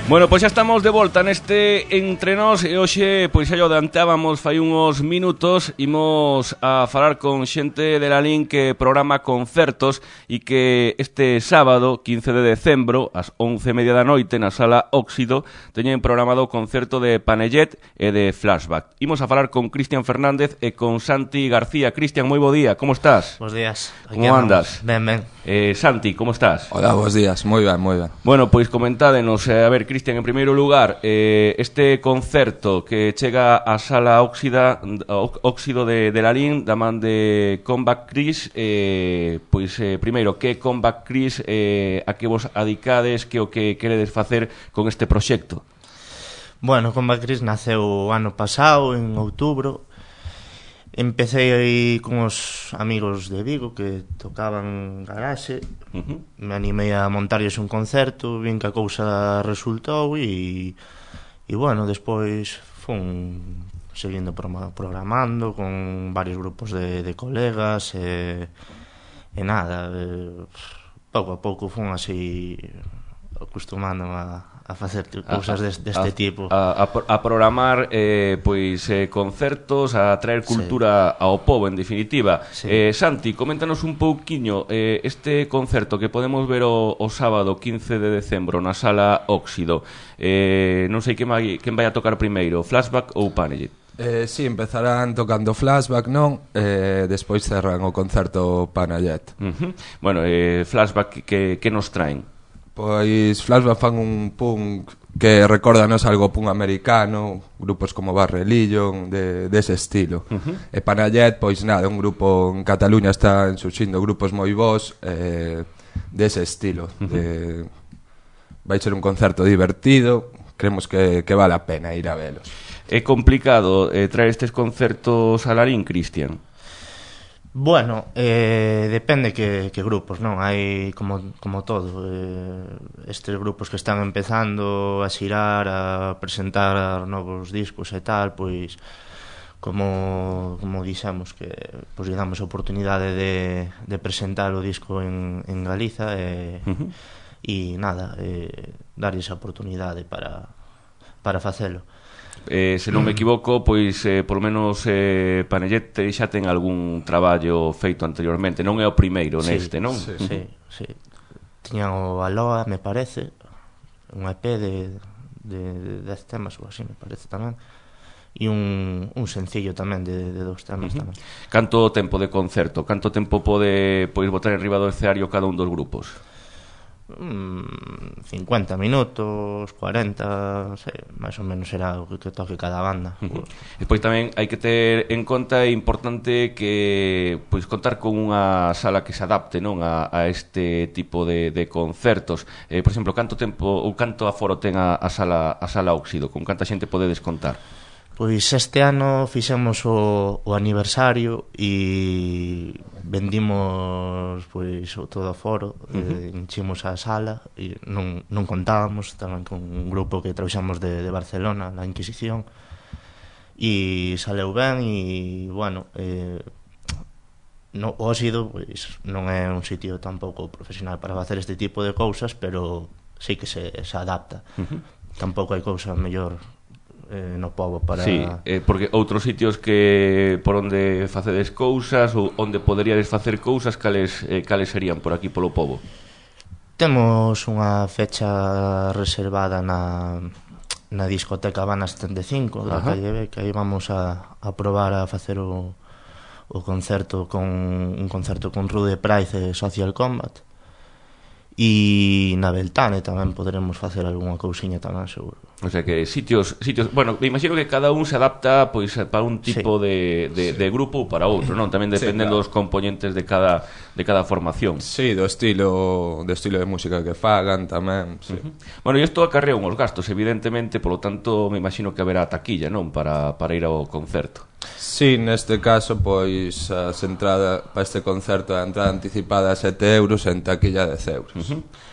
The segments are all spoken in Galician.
Bueno, pois xa estamos de volta neste Entre Nós e hoxe, pois xa o adiantábamos fai uns minutos, imos a falar con xente de Lalín que programa concertos e que este sábado, 15 de decembro, ás 11:30 da noite, na Sala Óxido, teñen programado o concerto de Panellet e de Flashback. Imos a falar con Cristian Fernández e con Santi García. Cristian, moi bo día, como estás? Bos días. Como andas? Ben, ben. Santi, como estás? Hola, bos días, moi ben, moi ben. Bueno, pois comentádenos, a ver, Cristian, en primeiro lugar, este concerto que chega á Sala Óxido de Lalín, da man de Comeback Chris, pois, primeiro, que Comeback Chris, a que vos adicades, que o que queredes facer con este proxecto? Bueno, Comeback Chris naceu o ano pasado, en outubro. Empecé aí con os amigos de Vigo que tocaban garaxe. Me animei a montarlles un concerto, vin que a cousa resultou e bueno, despois fun seguindo programando con varios grupos de colegas e nada, pouco a pouco fun así acostumando a facer cousas deste tipo, a programar pois concertos, a traer cultura ao pobo, en definitiva. Santi, coméntanos un pouquiño este concerto que podemos ver o sábado 15 de decembro na Sala Óxido. Non sei quen vai a tocar primeiro, Flashback ou Panellet? Si, empezarán tocando Flashback, non? Despois cerran o concerto Panellet. Bueno, Flashback, que nos traen? Pois Flashback fan un punk que recordanos algo punk americano, grupos como Bad Religion, dese estilo. E Panellet, pois nada, un grupo en Cataluña están surxindo grupos moi bons dese estilo. Vai ser un concerto divertido, creemos que vale a pena ir a velos. É complicado traer estes concertos a Lalín, Cristian? Bueno, depende que grupos, non? Hai como todo, estes grupos que están empezando a xirar, a presentar novos discos e tal, pois como dixemos que pois lle damos a oportunidade de presentar o disco en Galiza e nada, darlle esa oportunidade para facelo. Se non me equivoco, pois polo menos Panellet xa ten algún traballo feito anteriormente, non é o primeiro neste, non? Sí. Tiñan o Aloha, me parece, un EP de 10 temas ou así, me parece tamén, e un sencillo tamén de 2 temas tamén. Canto tempo de concerto? Canto tempo pode botar en riba do escenario cada un dos grupos? 50 minutos, 40, sei, máis ou menos será o que toque cada banda. Despois tamén hai que ter en conta, é importante que pois contar con unha sala que se adapte, non, a este tipo de concertos. Por exemplo, canto tempo ou canto aforo ten a sala Óxido? Con canta xente podedes contar? Pois este ano fixemos o aniversario e vendimos pois todo o foro, enchimos a sala e non contábamos tamén con un grupo que trouxamos de Barcelona, la Inquisición, e saleu ben e bueno, o Óxido pois non é un sitio tampouco profesional para facer este tipo de cousas, pero sí que se adapta. Tampouco hai cousa mellor no pobo para... Sí, porque outros sitios que por onde facedes cousas ou onde poderíades facer cousas, cales serían por aquí polo pobo? Temos unha fecha reservada na discoteca Habana 75 da calle B, que aí vamos a probar a facer o concerto un concerto con Rude Price e Social Combat, e na Beltane tamén poderemos facer algunha cousiña tamén, seguro. O sea que sitios, bueno, me imagino que cada un se adapta pois para un tipo de grupo ou para outro, non? Tamén dependen dos componentes de cada formación. Sí, do estilo de música que fagan tamén, sí. Bueno, e isto acarrea uns gastos, evidentemente, polo tanto, me imagino que haberá taquilla, non? Para ir ao concerto. Sí, neste caso, pois as entradas para este concerto, a entrada anticipada a 7 euros, en taquilla 10 euros.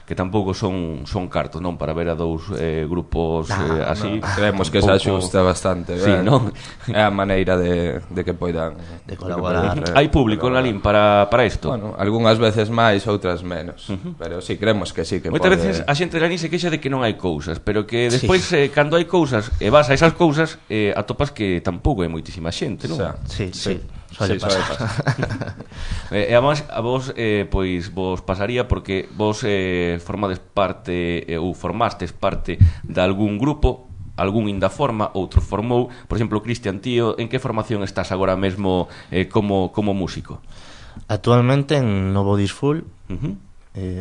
Que tampouco son cartos, non? Para ver a dous grupos así. Creemos que se axusta bastante, sí, non? É a maneira de que poidan de colaborar. Hai público en Lalín para isto? Bueno, algunhas veces máis, outras menos, pero sí, creemos que sí que moitas pode... veces a xente de Lalín se queixa de que non hai cousas, pero que despois cando hai cousas e vas a esas cousas atopas que tampouco hai moitísima xente, non? Sí. Suele pasar. E a vos pois vos pasaría porque vos formades parte ou formastes parte de algún grupo, algún inda forma, outro formou. Por exemplo, Cristian, tío, en que formación estás agora mesmo como músico? Actualmente en Novo Disful.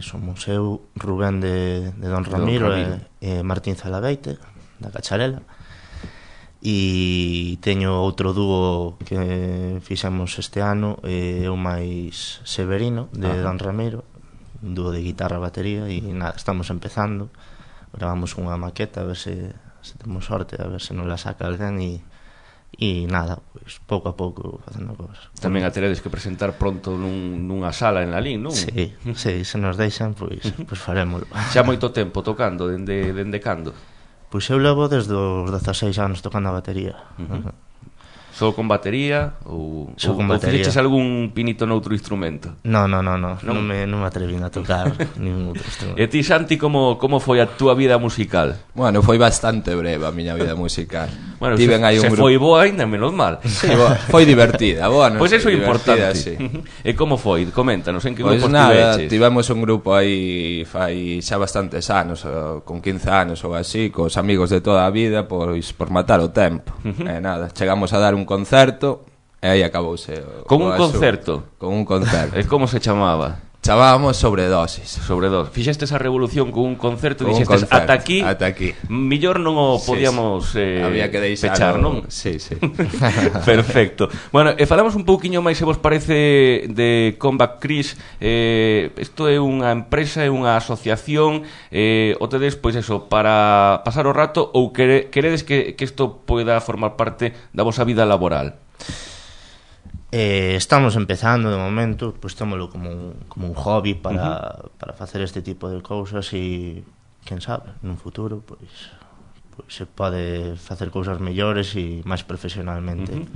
Somos eu, Rubén de Don Ramiro e Martín Zalabeite da Cacharela. E teño outro dúo que fixemos este ano, eu máis Severino de Don Ramiro, un dúo de guitarra e batería. E nada, estamos empezando, gravamos unha maqueta a ver se temos sorte, a ver se nos la saca alguén. E nada, pois pouco a pouco facendo cosas. Tamén a teredes que presentar pronto nunha sala en Lalín, non? Sí, se nos deixan, pois farémolo. Xa moito tempo tocando, dende cando? Pois eu levo desde os 16 anos tocando a batería. Só con batería ou fixeches batería. algún pinito noutro instrumento? Non me atrevín a tocar ningún outro instrumento. E ti, Santi, como foi a túa vida musical? Bueno, foi bastante breve a miña vida musical. Bueno, se foi boa ainda, menos mal. Sí, foi divertida, boa, non? Pois eso é importante. Sí. E como foi? Coméntanos, en que grupos tiveches? Tivemos un grupo aí fai xa bastantes anos, con 15 anos ou así, cos amigos de toda a vida, pois por matar o tempo. E nada, chegamos a dar un concerto e aí acabouse con un concerto. Con un concerto. E como se chamaba? Chamábamos Sobredosis. Fixestes a revolución con un concerto e dixestes ata aquí. Millor non o podíamos había que pechar, non? Sí. Perfecto. Bueno, falamos un pouquiño máis, se vos parece, de Comeback Chris. Isto é unha empresa, é unha asociación, o tedes, pois eso, para pasar o rato, ou queredes que isto poida formar parte da vosa vida laboral? Estamos empezando de momento, pois tómolo como un hobby para facer este tipo de cousas. E quen sabe, nun futuro pois se pode facer cousas mellores e máis profesionalmente.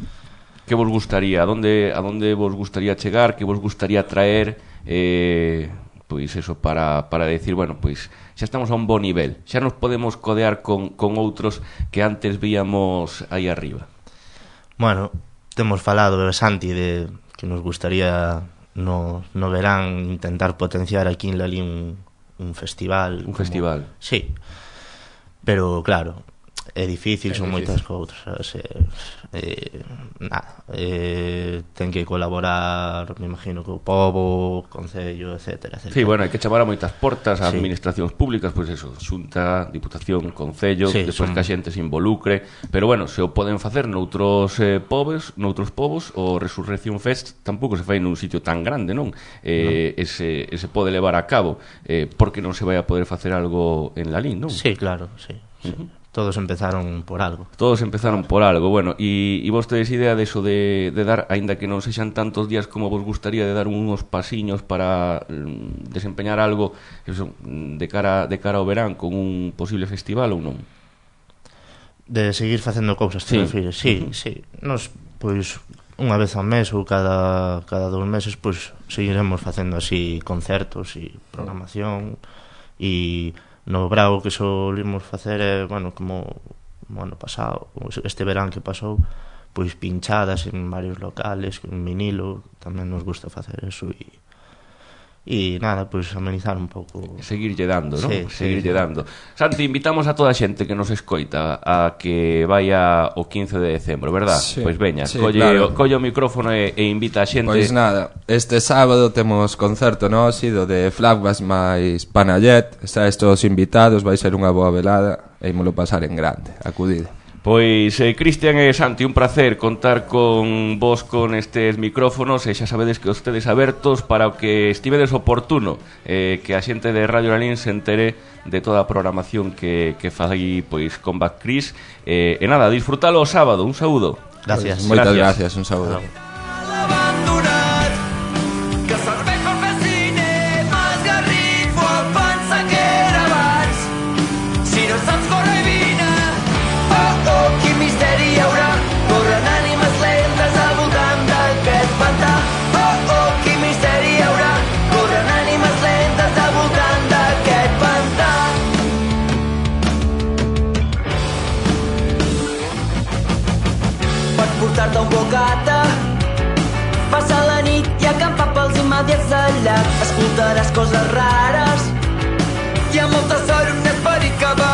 Que vos gustaría? A donde vos gustaría chegar? Que vos gustaría traer? Pois eso, para decir, bueno, pois xa estamos a un bo nivel, xa nos podemos codear con outros que antes víamos aí arriba. Bueno, temos falado, Santi, de que nos gustaría no verán intentar potenciar aquí en Lalín un festival. Un festival? Sí, pero claro, é difícil, son moitas cousas. Ten que colaborar, me imagino, co pobo, concello, etcétera. Sí, bueno, hai que chamar a moitas portas a administracións públicas, pois eso, Xunta, Diputación, Concello, despois que a xente se involucre, pero bueno, se o poden facer noutros povos, o Resurrección Fest tampouco se fai nun sitio tan grande, non? Ese pode levar a cabo, porque non se vai a poder facer algo en Lalín, non? Sí, claro, sí. Todos empezaron por algo. Bueno, e vos tedes idea de eso de dar, aínda que non sexan tantos días como vos gustaría, de dar unos pasiños para desempeñar algo eso, de cara ao verán con un posible festival ou non? De seguir facendo cousas, te refires? Sí. Nos, pois, unha vez ao mes ou cada 2 meses, pois, seguiremos facendo así concertos e programación. E no Brao que solimos facer bueno, como ano pasado, este verán que pasou, pois pinchadas en varios locales, en vinilo, tamén nos gusta facer eso. E nada, pois amenizar un pouco, seguirlle dando, non? Seguirlle dando. Santi, invitamos a toda a xente que nos escoita a que vaya o 15 de decembro, verdad? Sí, pois veña, claro. colle o micrófono e invita a xente. Pois nada, este sábado temos concerto no Óxido de Flashbacks máis Panayet. Está estos invitados, vai ser unha boa velada e ímolo pasar en grande, acudide. Pois, Cristian e Santi, un placer contar con vos con estes micrófonos, e xa sabedes que os tedes abertos para o que estivedes oportuno, que a xente de Radio Lalín se entere de toda a programación que fai, pois, Comeback Chris. E nada, disfrutalo o sábado, un saúdo. Gracias. Moitas gracias, un saúdo. Portar-te un bocata, passar la nit i acampar pels immediats de llac. Escoltaràs coses rares, hi ha molta sort, un esperit que va